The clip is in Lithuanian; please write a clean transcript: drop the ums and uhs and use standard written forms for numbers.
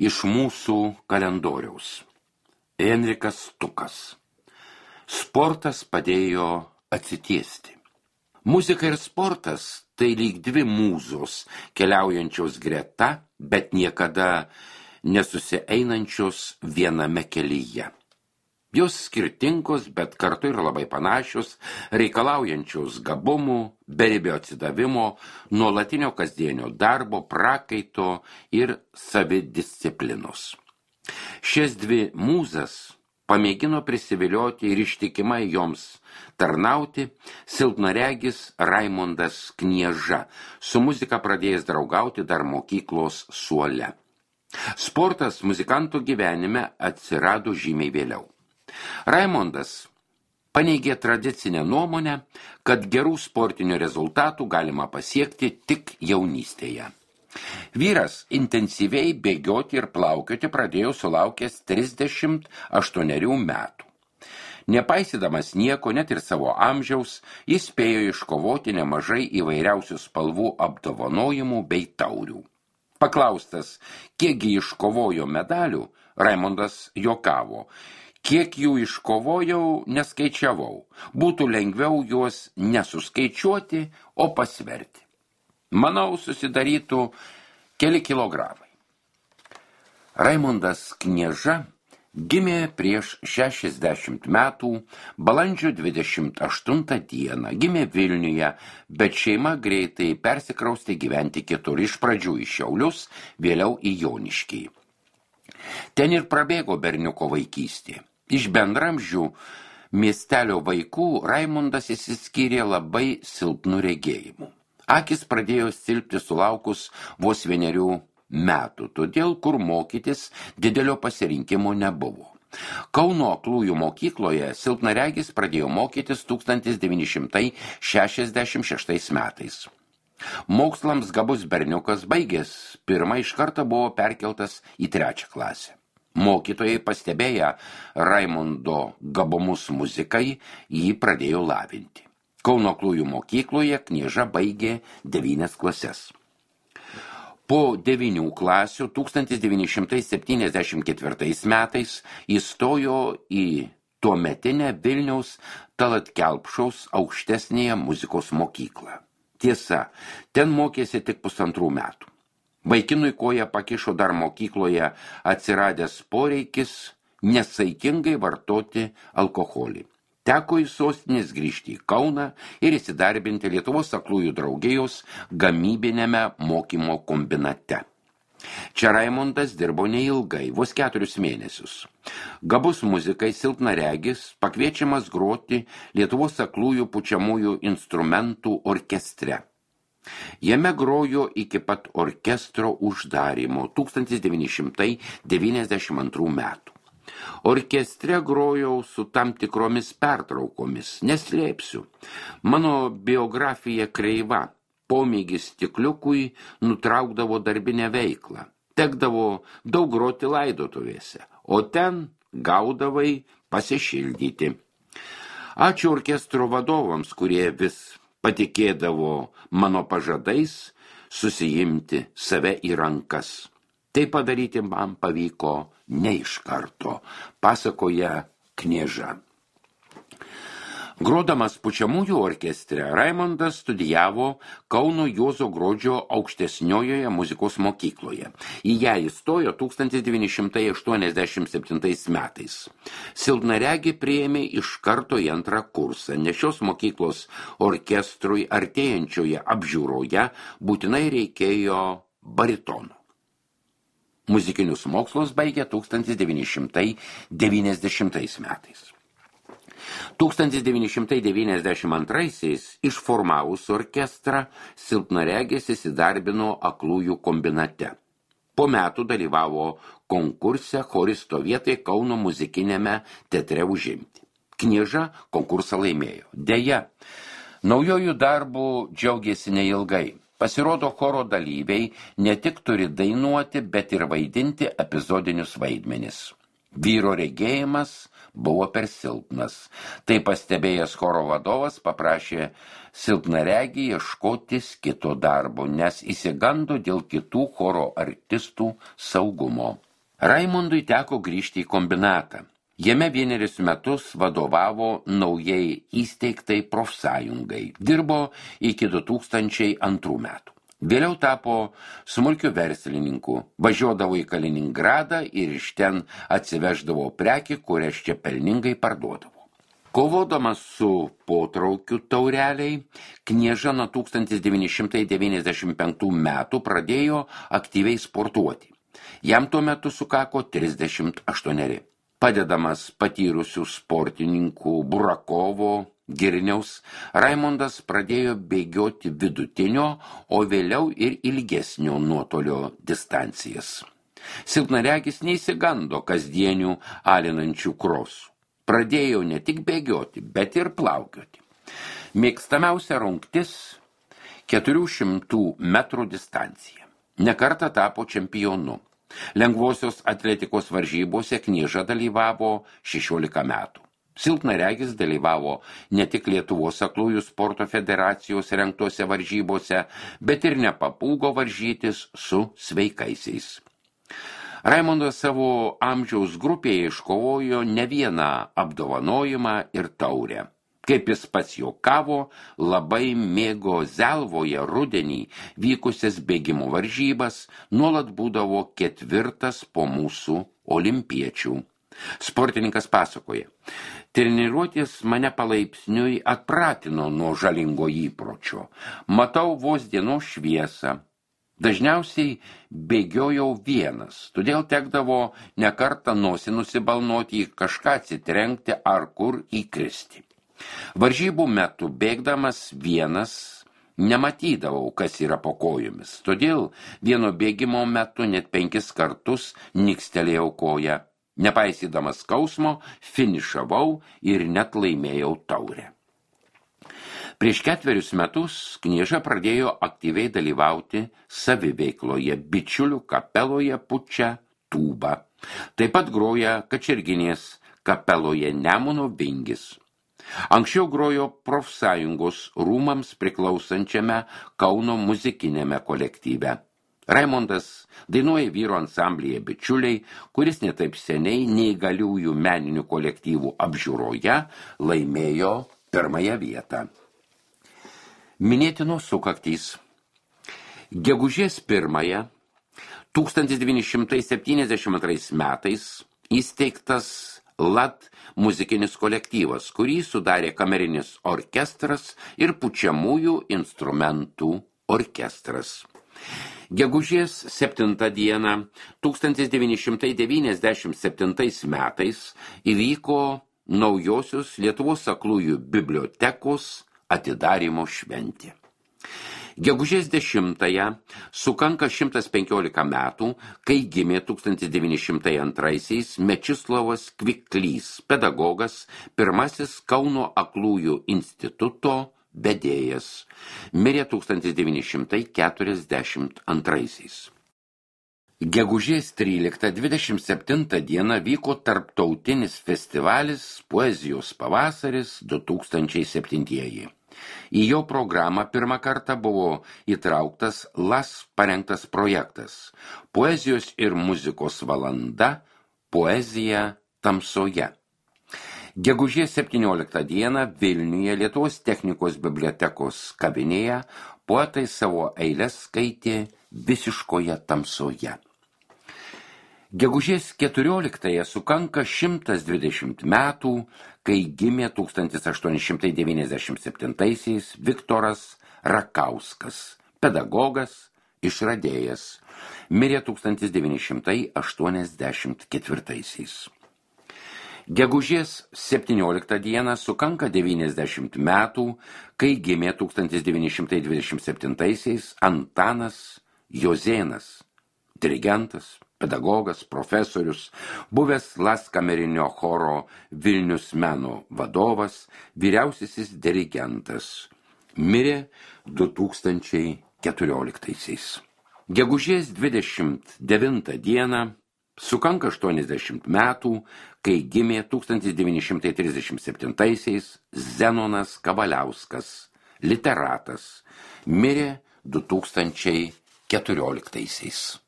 iš mūsų kalendoriaus. Enrikas Stukas. Sportas padėjo atsitiesti. Muzika ir sportas tai lyg dvi mūzos, keliaujančios greta, bet niekada nesusieinančios viename kelyje. Jos skirtingos, bet kartu ir labai panašios, reikalaujančios gabumų, beribio atsidavimo, nuolatinio kasdienio darbo, prakaito ir savidisciplinos. Šias dvi mūzas pamėgino prisivilioti ir ištikimai joms tarnauti silpnaregis Raimondas Knieža, su muzika pradėjęs draugauti dar mokyklos suole. Sportas muzikantų gyvenime atsirado žymiai vėliau. Raimondas paneigė tradicinę nuomonę, kad gerų sportinių rezultatų galima pasiekti tik jaunystėje. Vyras intensyviai bėgioti ir plaukioti pradėjo sulaukęs 38 metų. Nepaisydamas nieko, net ir savo amžiaus, jis spėjo iškovoti nemažai įvairiausių spalvų apdovanojimų bei taurių. Paklaustas, kiekgi iškovojo medalių, Raimondas juokavo. Kiek jų iškovojau, neskaičiavau. Būtų lengviau juos nesuskaičiuoti, o pasverti. Manau, susidarytų keli kilogramai. Raimondas Knieža gimė prieš 60 metų, balandžio 28 dieną. Gimė Vilniuje, bet šeima greitai persikraustė gyventi kitur, iš pradžių į Šiaulius, vėliau į Joniškį. Ten ir prabėgo berniuko vaikystė. Iš bendramžių miestelio vaikų Raimondas išsiskyrė labai silpnų regėjimų. Akis pradėjo silpti sulaukus vos 1 metų, todėl kur mokytis didelio pasirinkimo nebuvo. Kauno aklųjų mokykloje silpnaregis pradėjo mokytis 1966 metais. Mokslams gabus berniukas baigęs pirmą iš karto buvo perkeltas į 3 klasę. Mokytojai pastebėję Raimondo gabumus muzikai, jį pradėjo lavinti. Kauno aklųjų mokykloje Knieža baigė 9 klases. Po 9 klasių 1974 metais įstojo į tuometinę Vilniaus Tallat Kelpšos aukštesnėje muzikos mokyklą. Tiesa, ten mokėsi tik 1,5 metų. Vaikinui koja pakišo dar mokykloje atsiradęs poreikis nesaikingai vartoti alkoholį. Teko į sostinės grįžti į Kauną ir įsidarbinti Lietuvos aklųjų draugijos gamybinėme mokymo kombinate. Čia Raimondas dirbo neilgai, vos 4 mėnesius. Gabus muzikai silpnaregis pakviečiamas groti Lietuvos aklųjų pučiamųjų instrumentų orkestre. Jame grojo iki pat orkestro uždarymo 1992 metų. Orkestre grojau su tam tikromis pertraukomis, neslėpsiu. Mano biografija kreiva, pomėgis stikliukui nutraukdavo darbinę veiklą. Tekdavo daug groti laidotuvėse, o ten gaudavai pasišildyti. Ačiū orkestro vadovams, kurie vis patikėdavo mano pažadais susijimti save į rankas. Tai padaryti man pavyko ne iš karto, pasakoja Knieža. Grodamas pučiamųjų orkestre, Raimondas studijavo Kauno Juozo Grodžio aukštesniojoje muzikos mokykloje. Į ją įstojo 1987 metais. Silpnaregį priėmė iš karto į 2 kursą, nes šios mokyklos orkestrui artėjančioje apžiūroje būtinai reikėjo baritono. Muzikinius mokslus baigė 1990 metais. 1992-aisiais išformavus orkestrą silpnaregis įsidarbino aklųjų kombinate. Po metų dalyvavo konkurse choristo vietai Kauno muzikinėme teatre užimti. Knieža konkursą laimėjo. Deja, naujojų darbų džiaugėsi neilgai. Pasirodo, choro dalyviai ne tik turi dainuoti, bet ir vaidinti epizodinius vaidmenis. Vyro regėjimas buvo per silpnas. Tai pastebėjęs choro vadovas paprašė silpnaregį ieškotis kito darbo, nes įsigando dėl kitų choro artistų saugumo. Raimondui teko grįžti į kombinatą. Jame vienerius metus vadovavo naujai įsteigtai profsąjungai. Dirbo iki 2002 metų. Vėliau tapo smulkiu verslininku, važiuodavo į Kaliningradą ir iš ten atsiveždavo prekį, kurias čia pelningai parduodavo. Kovodamas su potraukiu taureliai, Knieža nuo 1995 metų pradėjo aktyviai sportuoti. Jam tuo metu sukako 38. Padedamas patyrusių sportininkų Burakovo, Girniaus, Raimondas pradėjo bėgioti vidutinio, o vėliau ir ilgesnio nuotolio distancijas. Silpnaregis neįsigando kasdienių alinančių krosų. Pradėjo ne tik bėgioti, bet ir plaukioti. Mėgstamiausia rungtis 400 metrų distancija. Nekartą tapo čempionu. Lengvosios atletikos varžybose Knieža dalyvavo 16 metų. Silpnaregis dalyvavo ne tik Lietuvos aklųjų sporto federacijos rengtose varžybose, bet ir nepapūgo varžytis su sveikaisiais. Raimondas savo amžiaus grupėje iškovojo ne vieną apdovanojimą ir taurę. Kaip jis pats juokavo, labai mėgo Zelvoje rudenį vykusias bėgimo varžybas, nuolat būdavo 4. po mūsų olimpiečių. Sportininkas pasakoja, treniruotis mane palaipsniui atpratino nuo žalingo įpročio. Matau vos dienos šviesą. Dažniausiai bėgiojau vienas, todėl tekdavo nekartą nosį nusibalnoti, į kažką atsitrenkti ar kur įkristi. Varžybų metu bėgdamas vienas nematydavau, kas yra po kojomis, todėl vieno bėgimo metu net 5 kartus nikstelėjau koją. Nepaisydamas skausmo, finišavau ir net laimėjau taurę. Prieš 4 metus Knieža pradėjo aktyviai dalyvauti saviveikloje, bičiulių kapeloje pučia tūbą. Taip pat groja Kačerginės kapeloje Nemuno Vingis. Anksčiau grojo profsąjungos rūmams priklausančiame Kauno muzikinėme kolektyve. Raimondas dainuoja vyro ansamblyje Bičiuliai, kuris netaip seniai neįgaliųjų meninių kolektyvų apžiūroje laimėjo 1 vietą. Minėtinos sukaktys. Gegužės 1 1972 metais įsteigtas LAT muzikinis kolektyvas, kurį sudarė kamerinis orkestras ir pučiamųjų instrumentų orkestras. Gegužės 7 dieną 1997 metais įvyko naujosios Lietuvos aklųjų bibliotekos atidarymo šventė. Gegužės 10 sukanka 115 metų, kai gimė 1902 Mečislovas Kviklys, pedagogas, pirmasis Kauno aklųjų instituto vedėjas. Mirė 1942. Gegužės 13-27 dieną vyko tarptautinis festivalis Poezijos pavasaris 2007. Į jo programą pirmą kartą buvo įtrauktas LAS parengtas projektas Poezijos ir muzikos valanda Poezija tamsoje. Gegužės 17 dieną Vilniuje Lietuvos technikos bibliotekos kavinėje poetai savo eiles skaitė Visiškoje tamsoje. Gegužės 14 sukanka 120 metų, kai gimė 1897 Viktoras Rakauskas, pedagogas, išradėjas, mirė 1984. Gegužės 17 dieną sukanka 90 metų, kai gimė 1927 Antanas Jozėnas, dirigentas, pedagogas, profesorius, buvęs LAS kamerinio choro Vilnius meno vadovas, vyriausiasis dirigentas, mirė 2014. Gegužės 29 dieną sukanka 80 metų, kai gimė 1937 Zenonas Kavaliauskas, literatas, mirė 2014.